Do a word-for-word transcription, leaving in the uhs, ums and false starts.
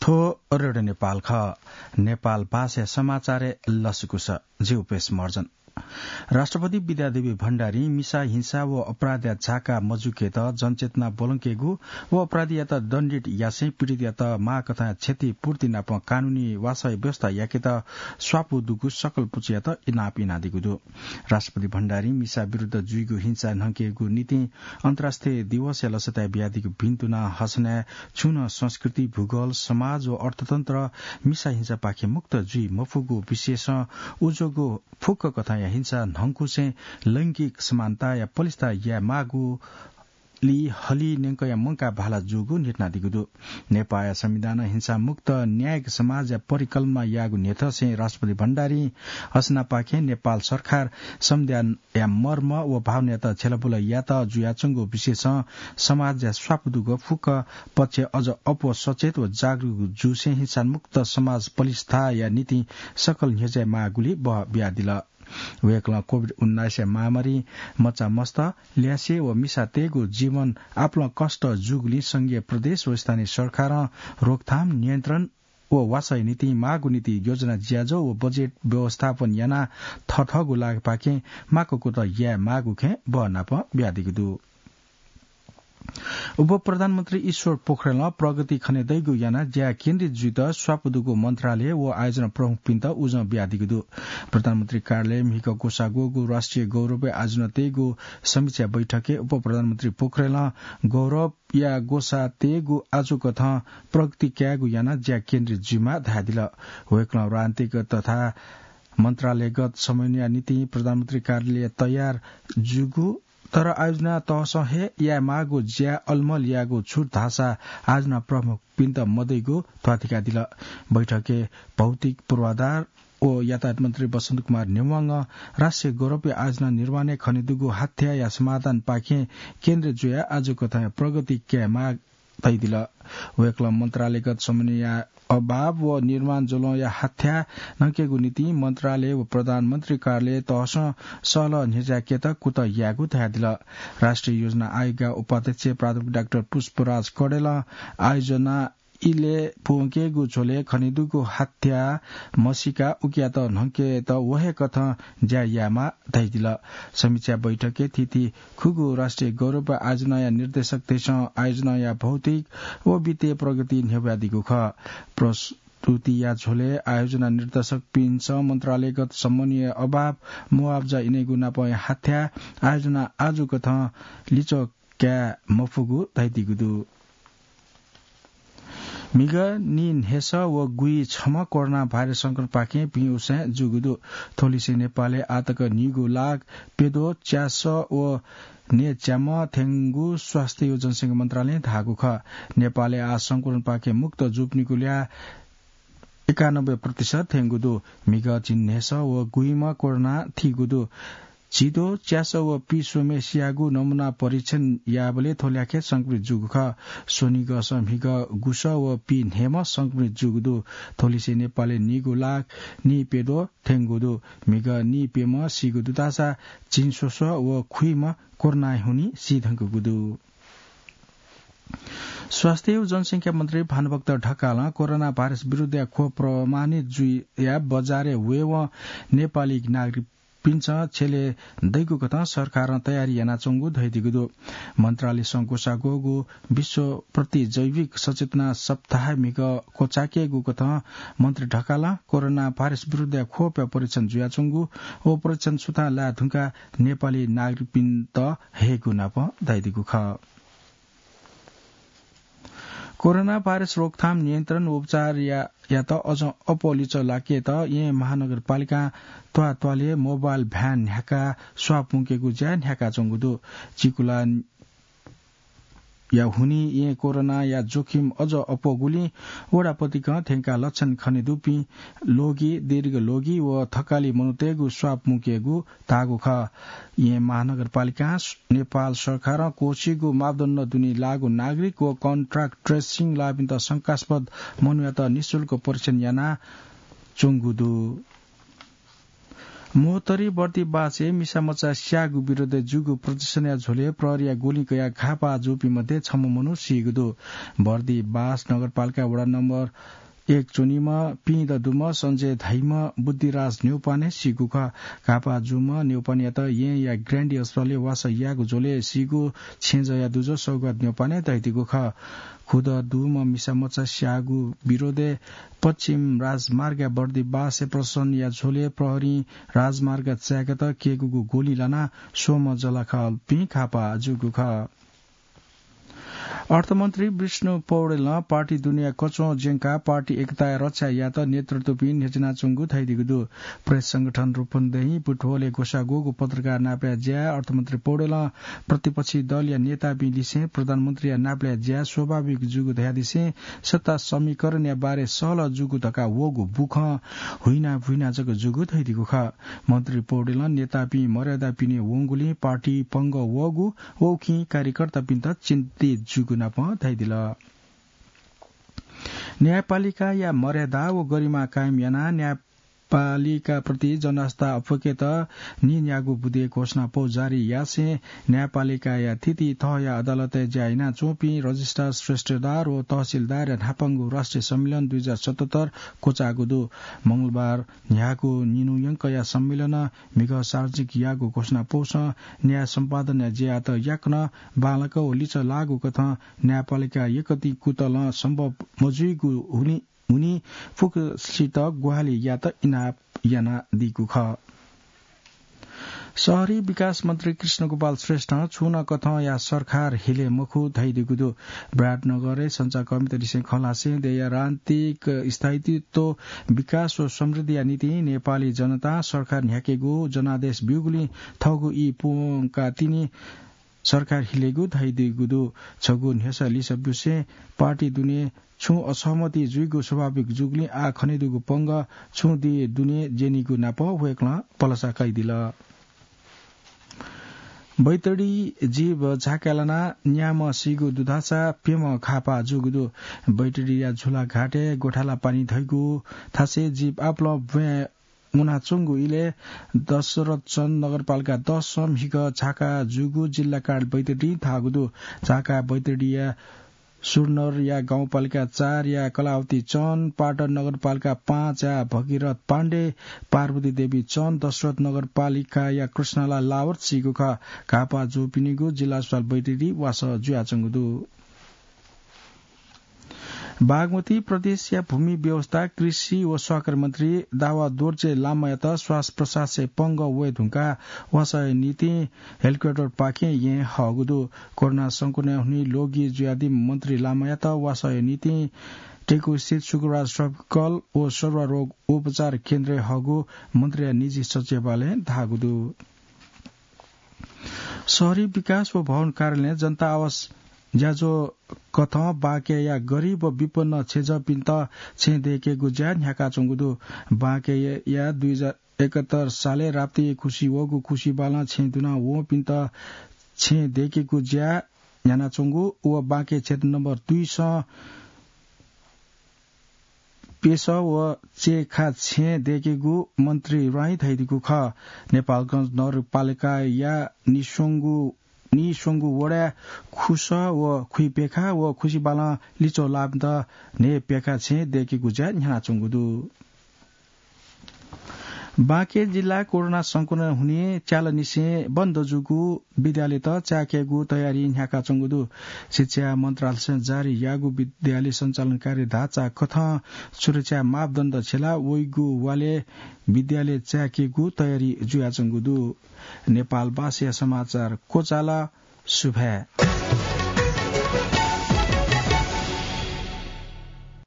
थ्व रेडियो नेपाल खः। नेपाल भाषाया समाचारय् लसकुस। जि उपेश महर्जन। राष्ट्रपति विद्यादेवी भण्डारीं मिसा हिंसा व अपराधया झाका मजुकेत जनचेतना ब्वलंकेगु व अपराधीयात दण्डित यासें पीडितयात माःकथंया क्षतिपूर्ति नाप कानूनी वासः व्यवस्था याकेत स्वापू दुगु सकल पुचःयात इनाप यानादीगु दु। राष्ट्रपति भण्डारीं मिसा विरुद्ध जुइगु हिंसा न्हंकेगु निंतिं अन्तर्राष्ट्रिय दिवसया लसताय् बियादीगु भिन्तुना हसनाय् छुं नं संस्कृति, भूगोल, समाज व अर्थतन्त्र मिसा हिंसापाखें मुक्त जुइ मफुगु विशेषं उज्वःगु फुक्क कथंया हिंसा न्हंकुसें लैंगिक समानताया पलिस्था याये माःगुली हलिं न्यंकया मंकाः भाला जूगु न्ह्यथनादीगु दु। नेपाःया संविधानं हिंसामुक्त न्यायिक समाजया परिकल्पना याःगु न्ह्यथंसें राष्ट्रपति भण्डारीं हसनापाखें नेपाल सरकार संविधानया मर्म व भावनायात छ्यलाबुला यात जुयाच्वंगु विशेषं समाजया स्वापू दुगु फुक्क पक्ष अझ अप्वः सचेत व जागरुक जूसें हिंसामुक्त समाज पलिस्थाया निंतिं सकल न्ह्यज्याये माःगुली बह बियादिल। वय्कलं कोभिड उन्नाइसया महामारीं मचामस्त, ल्यासे व मिसातय्गु जीवन आपालं कष्ट जूगुलिं संघीय प्रदेश व स्थानीय सरकारं रोकथाम, नियन्त्रण व वासःया निंतिं माःगु निंतिं योजना ज्याझ्वः व बजेट व्यवस्थापन यानाः थःथःगु लागापाखें माःगु कुतः याये माःगु खँय् बहनाप बियादीगु दु। उपप्रधानमन्त्री ईश्वर पोखरेलं प्रगति खनेदइगु यानाः ज्याय् केन्द्रित जुइत स्वापू दुगु मन्त्रालय व आयोजना प्रमुखपिन्त उजं बियादीगु दु। प्रधानमन्त्री कार्यालयय् म्हिगः ग्वसाः ग्वःगु राष्ट्रिय गौरवय् आयोजना तयेगु समीक्षा बैठकय् उपप्रधानमन्त्री पोखरेलं गौरवया ग्वसाः तयेगु आजुकथं प्रगति कायेगु यानाः ज्या केन्द्रित जुइमाः धयादिल। वय्कलं राजनीतिक तथा मन्त्रालयगत समन्वयया निंतिं प्रधानमन्त्री कार्यालय तयार जूगु तर आयोजना तहसं हे याये माःगु ज्या अलमल यायेगु छुट धाःसा आयोजना प्रमुखपिन्त मदइगु ध्वाथुइकादिल। बैठकय् भौतिक पूर्वाधार व यातायात मन्त्री बसन्त कुमार नेवांगं राष्ट्रिय गौरवया आयोजना निर्माणय् खनेदुगु हाथ्याःया समाधानपाखें केन्द्रित जुयाः आजुकथंया प्रगति काये माः धयादिल। वय्कलं मन्त्रालयगत समन्वयया अभाव व निर्माण ज्वलंया हाथ्याः न्हंकेगु निंतिं मन्त्रालय व प्रधानमन्त्री कार्यालय तहसं सहलह न्ह्यज्याकेत कुतः यायेगु धयादिल। राष्ट्रिय योजना आयोगया उपाध्यक्ष प्राध्यापक डाक्टर पुष्पराज कडेलं आयोजना इलय् प्वंकेगु झ्वलय् खनेदुगु हाथ्याः मसीकाः उकियात न्हंकेत व हे कथं ज्या यायेमाः धयादिल। समीक्षा बैठकय् थीथी खुगू राष्ट्रिय गौरव आयोजनाया निर्देशकतय्सं आयोजनाया भौतिक व वित्तीय प्रगति न्ह्यब्वयादीगु खः। प्रस्तुतिया झ्वलय् आयोजना निर्देशकपिन्सं मन्त्रालयगत समन्वय अभाव, मुआब्जा इनेगु नापं हाथ्याः आयोजना आजुकथं लिच्वः काये मफुगु धयादीगु दु। म्हिगः नीन्हय्सः व गुइछम्ह कोरोना भाइरस संक्रमणपाखें पिंउसाँय् जूगु दु। थ्वलिसें नेपालय् आःतक नीगू लाख प्यद्वः च्यासः व न्हय्च्याम्ह थ्यंगु स्वास्थ्य व जनसंख्या मन्त्रालयं धाःगु खः। नेपालय् आः संक्रमणपाखें मुक्त जूपिनिगु ल्याः एकानब्बे प्रतिशत थ्यंगु दु। म्हिगः झिंन्हय्सः व गुइम्ह कोरोनां थीगु दु। झिद्वः, च्यासः व पीस्वम्हय्सियागु नमूना परीक्षण याःबलय् थ्व ल्याखय् संक्रमित जूगु खः। स्वनिगःसं म्हिगः गुसः व पीन्हय्म्ह संक्रमित जूगु दु। थ्वलिसें नेपालय् नीगू लाख नीप्यद्वः थ्यंगु दु। म्हिगः नीप्यम्ह सीगु दु धाःसा झिंस्वस्वः व खुइम्ह कोरोनाया हुनिं सीधुंकूगु दु। स्वास्थ्य व जनसंख्या मन्त्री भानुभक्त ढकालं कोरोना भाइरस विरुद्धया ख्वप प्रमाणित जुयाः बजारय् वयेवं नेपाली नागरिकपिन्सं छ्यले दइगु कथं सरकारं तयारी यानाच्वंगु धयादीगु दु। मन्त्रालयसं ग्वसाः ग्वःगु विश्व प्रतिजैविक सचेतना सप्ताहय् म्हिगः क्वचायेकेगु कथं मन्त्री ढकालं कोरोना भाइरस विरुद्धया ख्वपया परीक्षण जुयाच्वंगु व परीक्षण सुथां लाये धुंकाः नेपाली नागरिकपिन्त हयेगु नाप धयादीगु खः। कोरोना भाइरस रोकथाम, नियन्त्रण व उपचारया, यात अझ अप्वः लिच्वः लाकेत येँ महानगरपालिकां त्वाःत्वालय् मोबाइल भ्यान न्ह्याकाः स्वाप मुंकेगु ज्या न्ह्याकाच्वंगु दु। चिकुलाया हुनिं येँ कोरोनाया जोखिम अझ अप्वःगुलिं वडापतिकं थ्यंकाः लक्षण खनेदुपिं लोगी, दीर्घ लोगी व थकालि मनूतय्गु स्वाप मुंकेगु धाःगु खः। येँ महानगरपालिकां नेपाल सरकारं क्वःछिइगु मापदण्ड दुने लाःगु नागरिक व कन्ट्याक्ट ट्रेसिङ लाःपिन्त शंकास्पद मनूयात निशुल्क परीक्षण यानाच्वंगु दु। महोत्तरी बर्दिबासय् मिसामचा स्याःगु विरोधय् जूगु प्रदर्शनया झ्वलय् प्रहरीया गोली कयाः घाःपाः जूपिं मध्ये छम्ह मनू सीगु दु। बर्दिबास नगरपालिका वडा नम्बर एक च्वनीम्ह पिं ददुम्ह सञ्जय धाइम्ह बुद्धिराज न्यौपाने सीगु खः। घाःपाः जूम्ह न्यौपानेयात येँया ग्रान्डी अस्पतालय् वासः याःगु झ्वलय् सीगु छेँजःया दुजः सौगात न्यौपाने धयादीगु खः। खुदँ दुम्ह मिसामचा स्याःगु विरोधय् पश्चिम राजमार्गया बर्दिबासय् प्रदर्शनया झ्वलय् प्रहरीं राजमार्ग चाय्‌केत क्यय्‌कूगु गोली लानाः स्वम्ह जःलाखःपिं घाःपाः जूगु खः। अर्थमन्त्री विष्णु पौडेलं पार्टी दुनेया कच्वं ज्यंकाः पार्टी एकताया रक्षा यायेत नेतृत्वपिं न्ह्यचिनाच्वंगु धयादीगु दु। प्रेस संगठन रूपन्देही बुटवलय् ग्वसाः ग्वःगु पत्रकार नापलाये ज्याय् अर्थमन्त्री पौडेलं प्रतिपक्षी दलया नेतापिं लिसें प्रधानमन्त्रीया नापलाये ज्या स्वाभाविक जूगु धयादिसें सत्ता समीकरणया बारे सहलह जूगु धकाः वःगु बुखँ हुइना भुइना जक जूगु धयादीगु खः। मन्त्री पौडेलं नेतापिं मर्यादापिने वंगुलिं पार्टी पंगः वःगु व उकिं कार्यकर्तापिन्त चिन्तित जूगु नापं धयादिल। न्यायपालिकाया मर्यादा व गरिमा कायम यानाः न्यायपालिकाप्रति जनआस्था अप्वय्‌केत नीन्यागू बुँदे घोषणापौ जारी यासें न्यायपालिकाया थीथी तहया अदालतय् ज्या यानाच्वंपिं रजिस्ट्रार, श्रेष्ठदार व तहसिलदारया न्हापांगु राष्ट्रिय सम्मेलन दुई हजार सतहत्तर क्वचाःगु दु। मंगलबार न्ह्याःगु निन्हु यंकया सम्मेलनं म्हिगः सार्वजनिक याःगु घोषणापौसं न्याय सम्पादनया ज्यायात याकनं बांलाक व लिचः लाःगु कथं न्यायपालिका यक्व तिं कुतलं सम्भव मजुइगु हुनि, हुनि फुक्कसित ग्वाहालि यात इनाप यानादीगु खः। शहरी विकास मन्त्री कृष्णगोपाल श्रेष्ठं छुं नं कथंया सरकार हिले मखु धयादीगु दु। विराटनगरय् सञ्चारकर्मीतलिसें खँ ल्हासें देय्‌या राजनीतिक स्थायित्व, विकास व समृद्धिया निंतिं नेपाली जनतां सरकार न्ह्याकेगु जनादेश ब्यूगुलिं थःगु ई पूवंकाः तिनि सरकार हिलेगु धयादीगु दु। छगू न्ह्यसः लिसः ब्यूसें पार्टी दुने छुं असहमति जुइगु स्वाभाविक जूगुलिं आः खनेदुगु पंगः छुं दिं दुने ज्यनीगु नाप वय्‌कलं भलसा कयादिल। बैतडी जीव झाकाय् लानाः न्याम्ह सीगु दु धाःसा प्यम्ह घाःपाः जूगु दु। बैतडीया झुलाघाटय् गोठाला पानी धइगु थासय् जीव आपालं ब्वाँय् वनाच्वंगु इलय् दशरथचन्द नगरपालिका दसं म्हिगः झाका जूगु जिल्ला कार्यालय बैतडीं धाःगु दु। झाका बैतडीया सुरनरया गाउँपालिका चारया कलावती चन्द, पाटन नगरपालिका पाँचया भगीरथ पाण्डे, पार्वती देवी चन्द, दशरथ नगरपालिकाया कृष्णलाल लावत सीगु खः। घाःपाः जूपिनिगु जिल्ला अस्पताल बैतडी वासः जुयाच्वंगु दु। बागमती प्रदेशया भूमि व्यवस्था, कृषि व सहकारी मन्त्री दावा दोर्जे लामायात श्वास प्रश्वासय् पंगः वये धुंकाः वासःया निंतिं हेलिकप्टरपाखें येँ हःगु दु। कोरोना संक्रमणय् हुनिं ल्वगि जुयादीम्ह मन्त्री लामायात वासःया निंतिं टेकुस्थित सुकुराज सर्जिकल व सरुवा रोग उपचार केन्द्रय् हःगु मन्त्रीया निजी सचिवालयं धाःगु दु। शहरी विकास व भवन कार्यालयं जनता आवास ज्याझ्वः कथं बाँकेया गरिब व विपन्न छेँजःपिन्त छेँ दय्‌केगु ज्या न्ह्याकाच्वंगु दु। बाँकेया दुई हजार एकहत्तर सालय् राप्ती खुसि वःगु खुसिबालं छेँ दुना वंपिन्त छेँ दय्‌केगु ज्या न्ह्यानाच्वंगु व बाँके क्षेत्र नम्बर दुइसं पेसः व चय्‌खा छेँ दय्‌केगु मन्त्री राईं धयादीगु खः। नेपालगञ्ज नगरपालिकाया निस्वंगु, निस्वंगु वडाय् खुसः व खुइप्यखा व खुसिबालं लिच्वः लाःपिन्त न्हय्‌प्यखा छेँ दय्‌केगु ज्या न्ह्यानाच्वंगु दु। बाँके जिल्ला कोरोना संक्रमण हुनिं च्यालनिसें बन्द जूगु विद्यालयत चाय्‌केगु तयारी न्ह्याकाच्वंगु दु। शिक्षा मन्त्रालयसं जारी याःगु विद्यालय सञ्चालन कार्य ढाँचा कथं सुरक्षा मापदण्ड छ्यला वइगु वालय् विद्यालय चाय्‌केगु तयारी जुयाच्वंगु दु। नेपालभाषाया समाचार क्वचाल। सुभाय्।